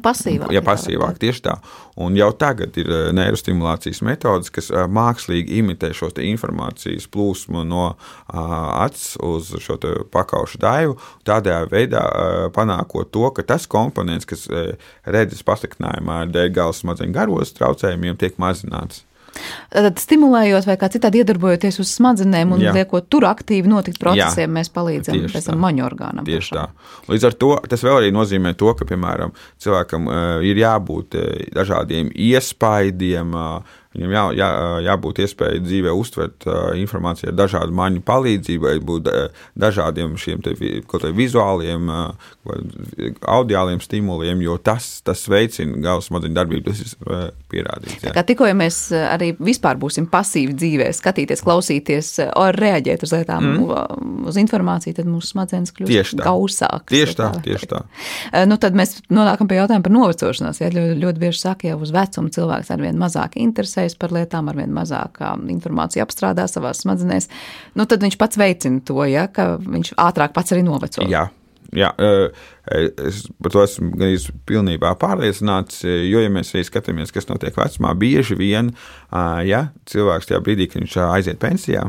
pasīvāk. Jā, pasīvāk, tieši tā. Un jau tagad ir neirostimulācijas metodas, kas mākslīgi imitē šo informācijas plūsmu no acis uz šo pakaušu daivu, tādējā veidā panākot to, ka tas komponents, kas redzes pasliktinājumā dēļ galvas smadzeņu garos traucējumiem, tiek mazināts. Tad stimulējot vai kā citādi iedarbojoties uz smadzenēm un liekot tur aktīvi notikt procesiem, mēs palīdzam pēc tam maņu orgānam. Tieši tā. Līdz ar to tas vēl arī nozīmē to, ka, piemēram, cilvēkam ir jābūt dažādiem iespaidiem, viņam jābūt iespēja dzīvē uztvert informāciju ar dažādu maņu palīdzību, vai būt dažādiem šiem kaut vizuāliem, audiāliem stimuliem, jo tas veicina galvas smadzeņu darbību, tas ir pierādīts. Jā. Kā tikko, ja mēs arī vispār būsim pasīvi dzīvē, skatīties, klausīties, reaģēt uz lietām, uz informāciju, tad mūsu smadzenes kļūst gausākas. Tieši tā. Tad mēs nonākam pie jautājuma par novecošanos. Ja, ļoti bieži saka, jau uz vecumu cilvēks arvien mazāk interesē par lietām, arvien mazāk informāciju apstrādā savās smadzenēs, tad viņš pats veicina to, ja, ka viņš ātrāk pats arī noveco. Jā, es par to esmu gan pilnībā pārliecināts, jo, ja mēs arī skatāmies, kas notiek vecumā, bieži vien, ja cilvēks tajā brīdī, kad viņš aiziet pensijā,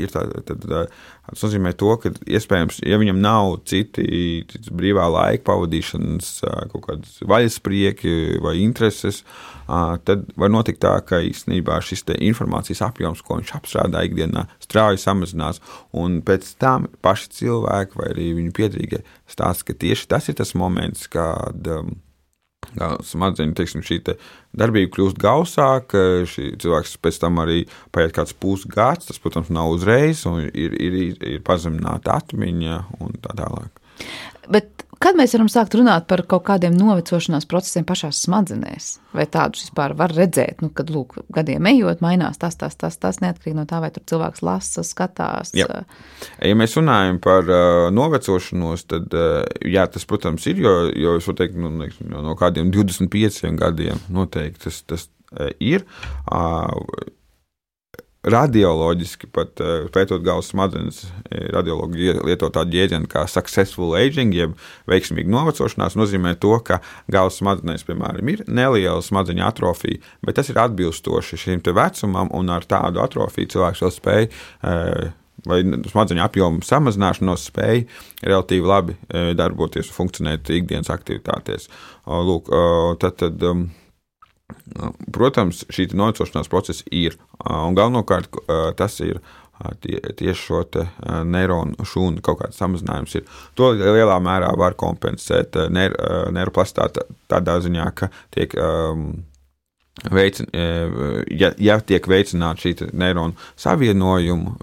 ir tas nozīmē to, ka iespējams, ja viņam nav cits brīvā laika pavadīšanas kaut kādas vaļasprieki vai intereses, tad var notikt tā, ka īstenībā šis informācijas apjoms, ko viņš apstrādā ikdienā, strauji samazinās, un pēc tam paši cilvēki vai arī viņu piedrīgie stāsta, ka tieši tas ir tas moments, kad smadzeņu, šī darbība kļūst gausāka, cilvēks pēc tam arī paiet kāds pusgads, tas, protams, nav uzreiz, un ir pazemināta atmiņa un tā tālāk. Bet Kad mēs varam sākt runāt par kaut kādiem novecošanās procesiem pašās smadzenēs? Vai tādus vispār var redzēt, kad, lūk, gadiem ejot, mainās tas neatkarīgi no tā, vai tur cilvēks lasa, skatās? Jā. Ja mēs runājam par novecošanos, tad, jā, tas, protams, ir, jo es varu teikt, no kādiem 25 gadiem noteikti tas ir. Radioloģiski pat pētot galvas smadzenes, radiologi lieto tādu jēdzienu kā successful aging, jeb veiksmīga novecošanās, nozīmē to, ka galvas smadzenēs, piemēram, ir neliela smadzeņu atrofija, bet tas ir atbilstoši šim te vecumam, un ar tādu atrofiju cilvēks vēl spēj vai smadzeņu apjomu samazināšanos spēj relatīvi labi darboties un funkcionēt ikdienas aktivitātēs. Lūk, tad protams, šī novecošanās procesa ir, un galvenokārt tas ir tieši šo te neironu šūnu kaut kāds samazinājums ir. To lielā mērā var kompensēt neiroplastitāte tādā ziņā, ka tiek ja tiek veicināta šī neironu savienojumu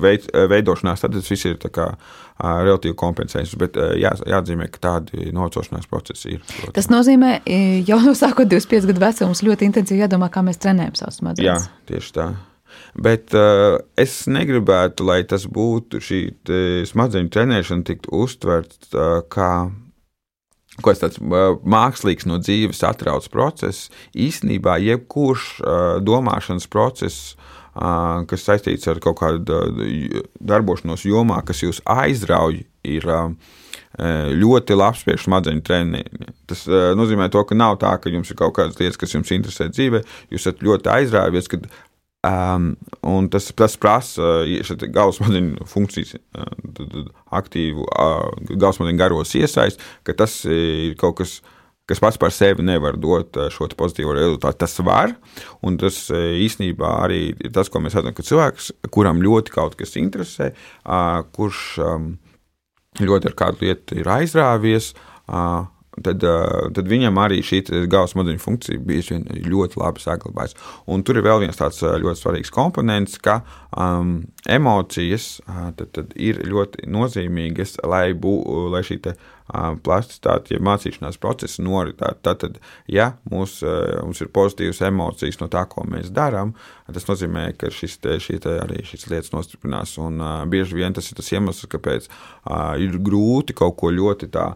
veidošanās, tad tas viss ir tā kā relatīvi kompensējums, bet jāatzīmē, ka tādi novecošanās procesi ir. Protams. Tas nozīmē, jau no sākot 25 gadu vecums ļoti intensīvi jādomā, kā mēs trenējam savus smadzenes. Jā, tieši tā. Bet es negribētu, lai tas būtu šī smadzeņu trenēšana tiktu uztverts kā kaut kāds tāds mākslīgs no dzīves atrauts process. Īstenībā jebkurš domāšanas process, kas saistīts ar kaut kādu darbošanos jomā, kas jūs aizrauj, ir ļoti labs priekš smadzeņu treniņiem. Tas nozīmē to, ka nav tā, ka jums ir kaut kādas lietas, kas jums interesē dzīvē, jūs esat ļoti aizrāvies, kad un tas prasa galvas smadzeņu funkcijas aktīvu galvas smadzeņu garos iesaist, ka tas ir kaut kas pats par sevi nevar dot šo pozitīvo rezultātu. Tas var, un tas īstenībā arī ir tas, ko mēs redzam, ka cilvēks, kuram ļoti kaut kas interesē, kurš ļoti ar kādu lietu ir aizrāvies, tad viņam arī šī galvas smadzeņu funkcija bieži vien ļoti labi saglabājas. Un tur ir vēl viens tāds ļoti svarīgs komponents, ka emocijas tad ir ļoti nozīmīgas, lai šī plasticitāte, ja mācīšanās procesa noritētu. Tātad, ja mums ir pozitīvas emocijas no tā, ko mēs darām, tas nozīmē, ka šīs lietas nostiprinās. Un bieži vien tas ir tas iemesls, kāpēc ir grūti kaut ko ļoti tā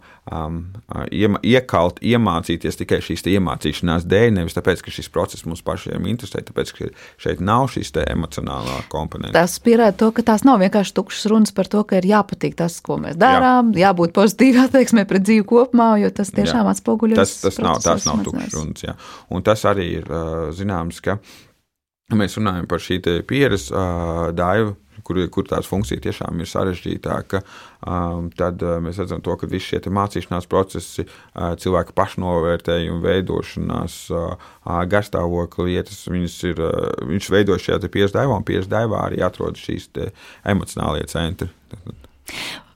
iekalt, iemācīties tikai šīs iemācīšanās dēļ, nevis tāpēc, ka šis process mums pašiem interesē, tāpēc, ka šeit nav šīs emocionālā komponenta. Tas pierāda to, ka tās nav vienkārši tukšas runas par to, ka ir jāpatīk tas, ko mēs darām, jābūt pozitīvi attieksmē pret dzīvi kopumā, jo tas tiešām atspoguļojas. Tas nav tukšas runas, jā. Un tas arī ir zināms, ka mēs runājam par šī pieres daivu, kur tās funkcija tiešām ir sarežģītāka, tad mēs redzam to, ka visi šie mācīšanās procesi, cilvēka pašnovērtējuma veidošanās, garstāvokļa lietas, viņš veido šajā pieres daivā, un pieres daivā arī atrodas šīs emocionālie centri.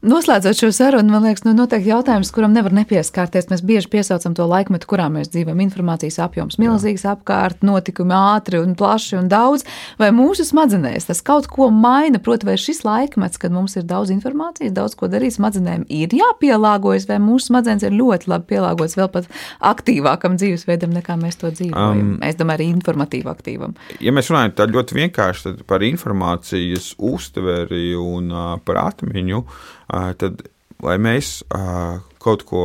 Noslēdzot šo sarunu, man liekas, noteikti jautājums, kuram nevar nepieskārties. Mēs bieži piesaucam to laikmetu, kurā mēs dzīvojam. Informācijas apjoms milzīgs apkārt, notikumi ātri un plaši un daudz. Vai mūsu smadzenēs tas kaut ko maina? Proti, vai šis laikmets, kad mums ir daudz informācijas, daudz ko darīt, smadzenēm ir jāpielāgojas, vai mūsu smadzenes ir ļoti labi pielāgotas vēl pat aktīvākam dzīvesveidam, nekā mēs to dzīvojam? Es domāju, arī informatīvi aktīvam. Ja mēs runājam tā ļoti vienkārši par informācijas uztveri un par atmiņu, tad, lai mēs kaut ko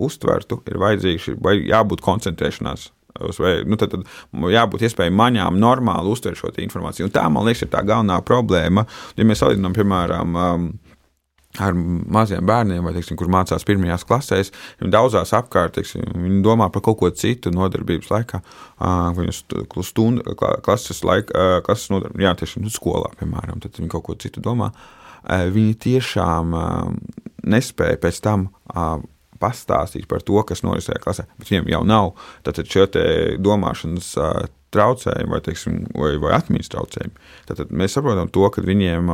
uztvertu, ir vajadzīgs, vai jābūt koncentrēšanās, vai tad jābūt iespēja maņām normāli uztvert šo informāciju. Un tā, man liekas, ir tā galvenā problēma. Ja mēs salīdzinām, piemēram, ar maziem bērniem, vai, teiksim, kur mācās pirmajās klasēs, viņi daudzās apkārt, teiksim, viņi domā par kaut ko citu nodarbības laikā, viņas klases nodarbības, jā, teiksim, skolā, piemēram, tad viņi kaut ko citu domā. Viņi tiešām nespēja pēc tam pastāstīt par to, kas norisē klasē, bet viņiem jau nav tātad šo te domāšanas traucējumi vai atmiņas traucējumi. Tātad mēs saprotam to, ka viņiem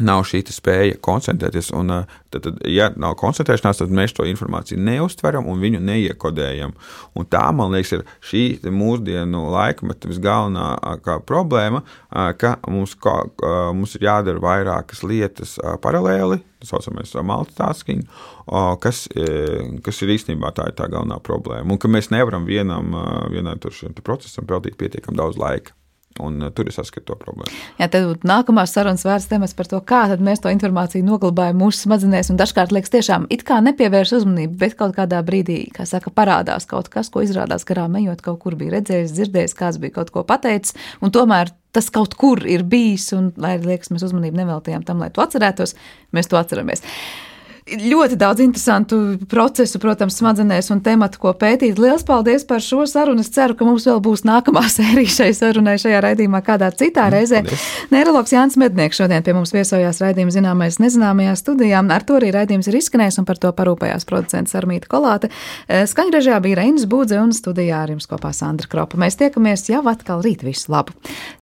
nav šī spēja koncentrēties, un tad, ja nav koncentrēšanās, tad mēs to informāciju neuztveram un viņu neiekodējam. Un tā, man liekas, ir šī mūsdienu laikmeta visgalvenākā problēma, ka mums ir jādara vairākas lietas paralēli, tā saucamais multitasking, kas ir īstenībā tā galvenā problēma, un ka mēs nevaram vienam procesam veltīt pietiekami daudz laika. Un tur es saskatu to problēmu. Jā, tad nākamās sarunas vērts temats par to, kā tad mēs to informāciju noglabājam mūsu smadzenēs, un dažkārt liekas tiešām it kā nepievērš uzmanību, bet kaut kādā brīdī, kā saka, parādās kaut kas, ko izrādās garām ejot, kaut kur bija redzējis, dzirdējis, kāds bija kaut ko pateicis, un tomēr tas kaut kur ir bijis, un, lai liekas, mēs uzmanību neveltījām tam, lai to atcerētos, mēs to atceramies. Ļoti daudz interesantu procesu, protams, smadzenēs un tematu, ko pētīt. Liels paldies par šo sarunu. Es ceru, ka mums vēl būs nākamā sērija šai sarunai šajā raidījumā kādā citā reizē. Neiroloģis Jānis Mednieks šodien pie mums viesojās raidījuma Zināmais nezināmajā studijā. Ar to arī raidījums ir izskanējis un par to parūpējās producents Armīta Kolāte. Skaņrežijā bija Reinis Būdze un studijā ar jums kopā Sandra Kropa. Mēs tiekamies jau atkal rīt. Visu labu!